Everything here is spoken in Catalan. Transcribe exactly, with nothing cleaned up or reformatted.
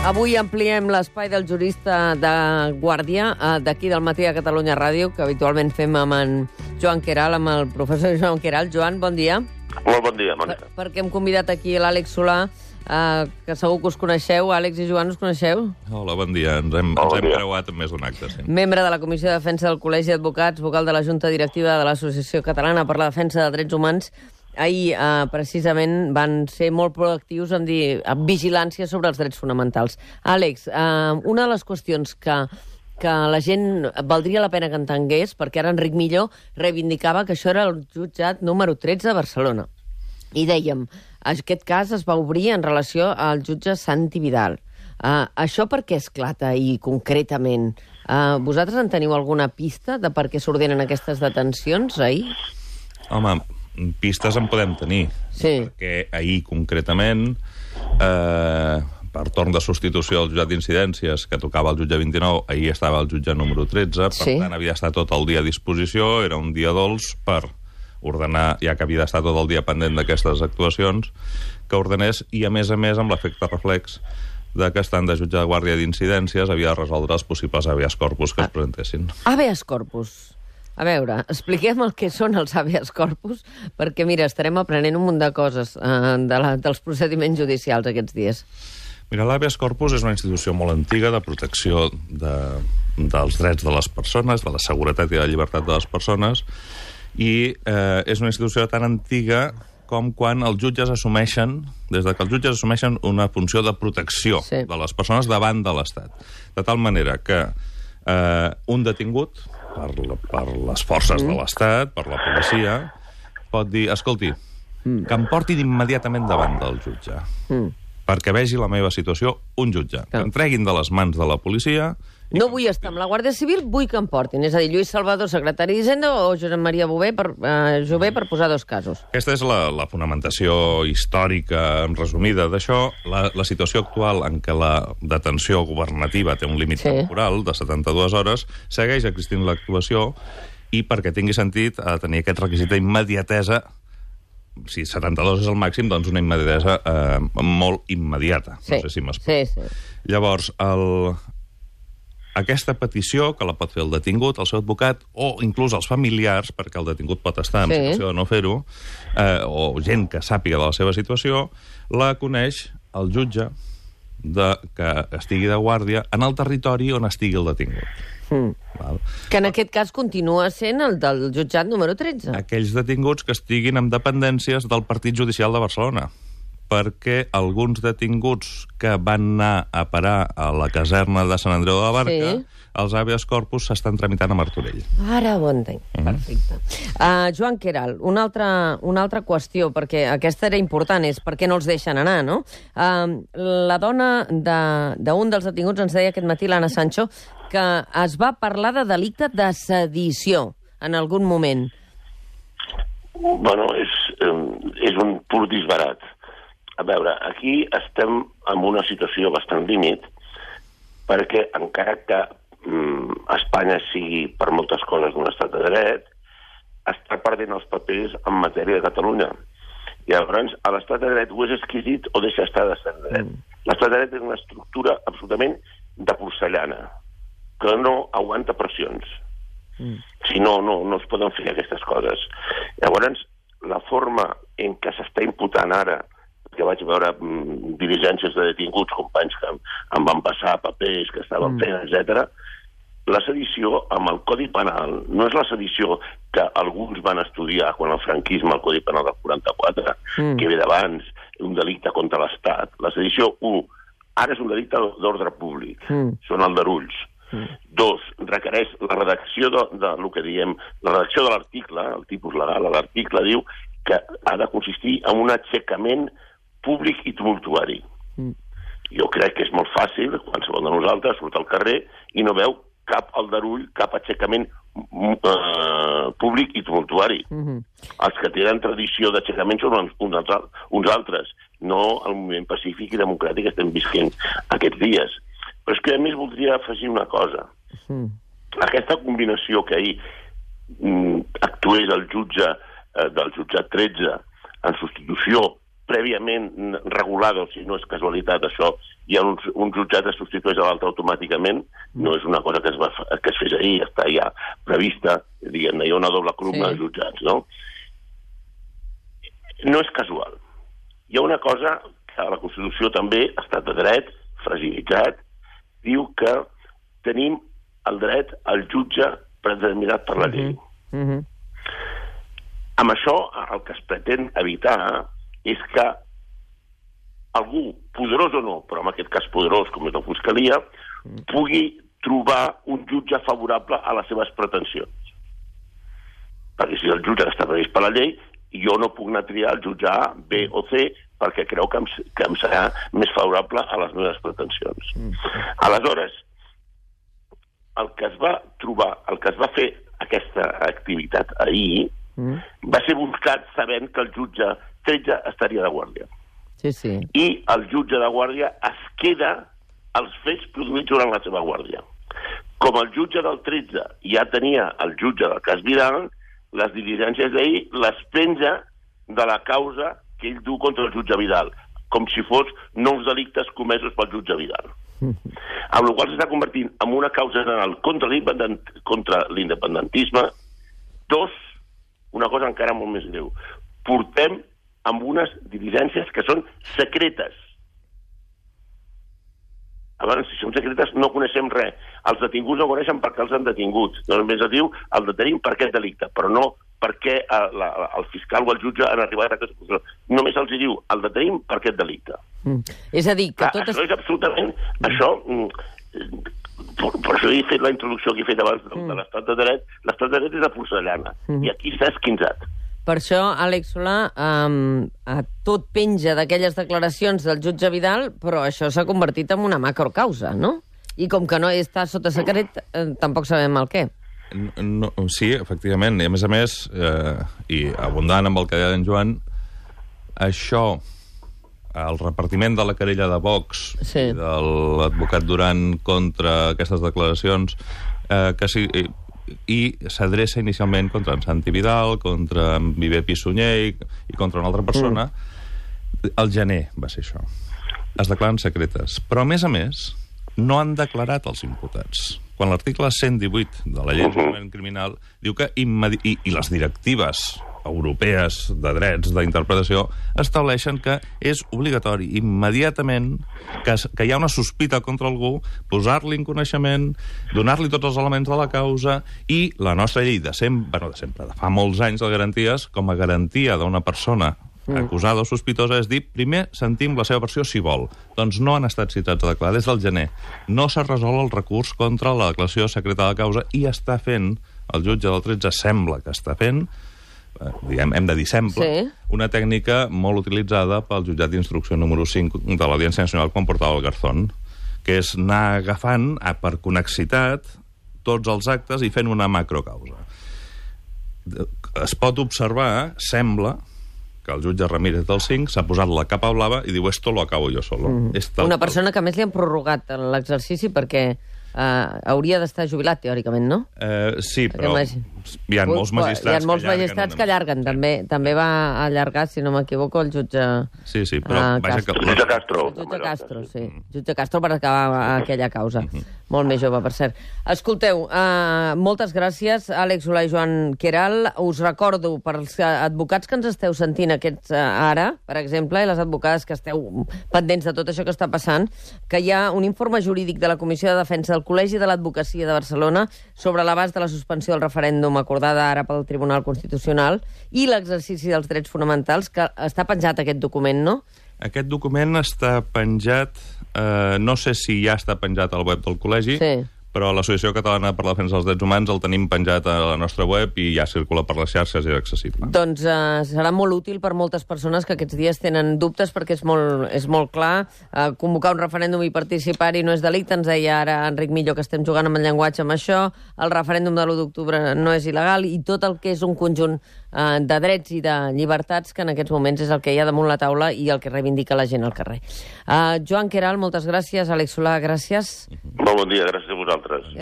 Avui ampliem l'espai del jurista de Guàrdia, d'aquí del Matí a Catalunya Ràdio, que habitualment fem amb en Joan Queralt, amb el professor Joan Queralt. Joan, bon dia. Molt bon dia, Mònica. Per, perquè hem convidat aquí l'Àlex Solà, eh, que segur que us coneixeu. Àlex i Joan, us coneixeu? Hola, bon dia. Ens hem, bon ens hem dia. creuat en més d'un acte, sí. Membre de la Comissió de Defensa del Col·legi d'Advocats, vocal de la Junta Directiva de l'Associació Catalana per la Defensa de Drets Humans. Ahir, eh, precisament, van ser molt proactius en dir en vigilància sobre els drets fonamentals. Àlex, eh, una de les qüestions que, que la gent valdria la pena que entengués, perquè ara Enric Millo reivindicava que això era el jutjat número tretze de Barcelona. I dèiem, aquest cas es va obrir en relació al jutge Santi Vidal. Eh, això per què esclata i concretament? Eh, vosaltres en teniu alguna pista de per què s'ordenen aquestes detencions ahir? Home, pistes en podem tenir. Sí. Perquè ahir, concretament, eh, per torn de substitució del jutjat d'incidències, que tocava el jutge vint-i-nou, ahir estava el jutge número tretze, per Sí. tant, havia estat tot el dia a disposició, era un dia dolç per ordenar, ja que havia d'estar tot el dia pendent d'aquestes actuacions, que ordenés, i a més a més amb l'efecte reflex de que estant de jutge de guàrdia d'incidències havia de resoldre els possibles habeas corpus que es presentessin. Habeas corpus. A veure, expliquem el que són els habeas corpus, perquè, mira, estarem aprenent un munt de coses eh, de la, dels procediments judicials aquests dies. Mira, l'habeas corpus és una institució molt antiga de protecció de, dels drets de les persones, de la seguretat i de la llibertat de les persones, i eh, és una institució tan antiga com quan els jutges assumeixen, des de que els jutges assumeixen una funció de protecció Sí. de les persones davant de l'Estat. De tal manera que eh, un detingut, per, la, per les forces mm. de l'Estat, per la policia, pot dir, escolti, mm. que em portin immediatament davant del jutge, mm. perquè vegi la meva situació un jutge. Clar. Que em treguin de les mans de la policia... No vull estar amb la Guàrdia Civil, vull que em portin. És a dir, Lluís Salvador, secretari d'Hisenda, o Josep Maria Bové per, eh, Jové, per posar dos casos. Aquesta és la, la fonamentació històrica resumida d'això. La, la situació actual en què la detenció governativa té un límit Sí. temporal de setanta-dues hores segueix existint l'actuació i perquè tingui sentit ha de tenir aquest requisit d'immediatesa. Si setanta-dos és el màxim, doncs una immediatesa eh, molt immediata. Sí. No sé si m'explico. Sí, sí. Llavors, el... aquesta petició, que la pot fer el detingut, el seu advocat, o inclús els familiars, perquè el detingut pot estar en Sí. situació de no fer-ho, eh, o gent que sàpiga de la seva situació, la coneix el jutge de, que estigui de guàrdia en el territori on estigui el detingut. Mm. Val? Que en aquest cas continua sent el del jutjat número tretze. Aquells detinguts que estiguin en dependències del Partit Judicial de Barcelona, perquè alguns detinguts que van anar a parar a la caserna de Sant Andreu de la Barca, Sí. els habeas corpus s'estan tramitant a Martorell. Ara ho entenc. Mm. Perfecte. Uh, Joan Queralt, una altra, una altra qüestió, perquè aquesta era important, és per què no els deixen anar, no? Uh, la dona d'un de, dels detinguts ens deia aquest matí, l'Anna Sancho, que es va parlar de delicte de sedició en algun moment. Bueno, és, eh, és un pur disbarat. A veure, aquí estem en una situació bastant límit, perquè encara que mm, Espanya sigui per moltes coses un estat de dret, està perdent els papers en matèria de Catalunya. I llavors, a l'estat de dret o és exquisit o deixa estar d'estat de dret. Mm. L'estat de dret és una estructura absolutament de porcellana, que no aguanta pressions. Mm. Si no, no, no es poden fer aquestes coses. Llavors, la forma en què s'està imputant ara, que vaig veure mm, diligències de detinguts, companys que em, em van passar papers que estaven mm. fent, etcètera. La sedició amb el Codi Penal no és la sedició que alguns van estudiar quan el franquisme, el Codi Penal del quaranta-quatre, mm. que ve d'abans, un delicte contra l'Estat. La sedició, un, ara és un delicte d'ordre públic, mm. són aldarulls. Mm. Dos, requereix la redacció de, de lo que diem, la redacció de l'article, el tipus legal, l'article diu que ha de consistir en un aixecament públic i tumultuari. Mm. Jo crec que és molt fàcil, qualsevol de nosaltres surt al carrer i no veu cap aldarull, cap aixecament uh, públic i tumultuari. Mm-hmm. Els que tenen tradició d'aixecament són uns, uns, uns altres, no el moviment pacífic i democràtic que estem visquent aquests dies. Però és que a més voldria afegir una cosa. Mm. Aquesta combinació que ahir mm, actués el jutge eh, del jutjat tretze en substitució prèviament regulado, si no és casualitat això, hi ha uns, un jutjat es substitueix a l'altre automàticament, no és una cosa que es, va, que es fes ahir, està ja prevista, diguem-ne, hi ha una doble columna sí. de jutjats, no? No és casual. Hi ha una cosa que a la Constitució també, estat de dret, fragilitzat, diu que tenim el dret al jutge predeterminat per la llei. Mm-hmm. Amb això, el que es pretén evitar és que algú, poderós o no, però en aquest cas poderós, com és la Fiscalia, pugui trobar un jutge favorable a les seves pretensions. Perquè si el jutge està previst per la llei, jo no puc anar a triar el jutge A, B o C perquè creu que em, que em serà més favorable a les meves pretensions. Aleshores, el que es va trobar, el que es va fer aquesta activitat ahir, mm. va ser buscat sabent que el jutge tretze estaria de guàrdia. Sí, sí. I el jutge de guàrdia es queda els fets produïts durant la seva guàrdia. Com el jutge del tretze ja tenia el jutge del cas Vidal, les diligències d'ahir les penja de la causa que ell du contra el jutge Vidal, com si fos nous delictes comesos pel jutge Vidal. Mm-hmm. Amb la qual cosa s'està convertint en una causa general contra l'independentisme. Dos, una cosa encara molt més greu. Portem amb unes diligències que són secretes. Abans, si són secretes, no coneixem res. Els detinguts no coneixen per què els han detingut. Només es diu el detenim per aquest delicte, però no per què el, el fiscal o el jutge han arribat a aquesta conclusió. Només els diu el detenim per aquest delicte. Mm. És a dir, que Clar, tot... Això és absolutament... Mm. Això... Per, per això he fet la introducció que he fet abans de, mm. de l'estat de dret. L'estat de dret és de porcellana, mm. i aquí s'ha esquinçat. Per això, Àlex Solà, um, tot penja d'aquelles declaracions del jutge Vidal, però això s'ha convertit en una macrocausa, no? I com que no està sota secret, eh, tampoc sabem el què. No, sí, efectivament. I a més a més, eh, i abundant amb el que deia en Joan, això, el repartiment de la querella de Vox sí. i de l'advocat Duran contra aquestes declaracions, eh, que sí... i s'adreça inicialment contra en Santi Vidal, contra en Viver Pissunyer i, i contra una altra persona. Mm. El gener va ser això. Es declaren secretes. Però, a més a més, no han declarat els imputats. Quan l'article cent divuit de la llei de criminal diu que immedi- i, i les directives europees de drets d'interpretació estableixen que és obligatori immediatament que, que hi ha una sospita contra algú, posar-li en coneixement, donar-li tots els elements de la causa, i la nostra llei de sempre, bueno, de sempre, de fa molts anys de garanties, com a garantia d'una persona acusada o sospitosa, és dir, primer sentim la seva versió si vol. Doncs no han estat citats a declarar des del gener. No s'ha resolt el recurs contra la declaració secreta de causa i està fent, el jutge del tretze sembla que està fent, diguem, hem de dir sempre, sí. una tècnica molt utilitzada pel jutjat d'instrucció número cinc de l'Audiència Nacional quan portava el Garzón, que és anar agafant per conexitat tots els actes i fent una macrocausa. Es pot observar, sembla, que el jutge Ramírez del cinc s'ha posat la capa blava i diu esto lo acabo yo solo. Mm. Una persona que més li han prorrogat l'exercici perquè Uh, hauria d'estar jubilat, teòricament, no? Uh, sí, però hi ha molts magistrats, hi ha molts que, magistrats que allarguen. També, també va allargar, si no m'equivoco, el jutge... Sí, sí, però... Uh, vaja Castro. Que... El jutge Castro. El jutge Castro, sí. Jutge Castro per acabar aquella causa. Uh -huh. Molt més jove, per cert. Escolteu, uh, moltes gràcies, Àlex Solà i Joan Queralt. Us recordo, per als advocats que ens esteu sentint aquests uh, ara, per exemple, i les advocades que esteu pendents de tot això que està passant, que hi ha un informe jurídic de la Comissió de Defensa del Col·legi de l'Advocacia de Barcelona sobre l'abast de la suspensió del referèndum acordada ara pel Tribunal Constitucional i l'exercici dels drets fonamentals, que està penjat aquest document, no? Aquest document està penjat, eh, no sé si ja està penjat al web del col·legi, sí. però l'Associació Catalana per la Defensa dels Drets Humans el tenim penjat a la nostra web i ja circula per les xarxes i és accessible. Doncs uh, serà molt útil per moltes persones que aquests dies tenen dubtes, perquè és molt, és molt clar. Uh, convocar un referèndum i participar-hi no és delicte. Ens deia ara Enric Millo que estem jugant amb el llenguatge amb això. El referèndum de l'u d'octubre no és il·legal, i tot el que és un conjunt uh, de drets i de llibertats que en aquests moments és el que hi ha damunt la taula i el que reivindica la gent al carrer. Uh, Joan Queralt, moltes gràcies. Àlex Solà, gràcies. Molt bon dia, gràcies a vosaltres. Gràcies.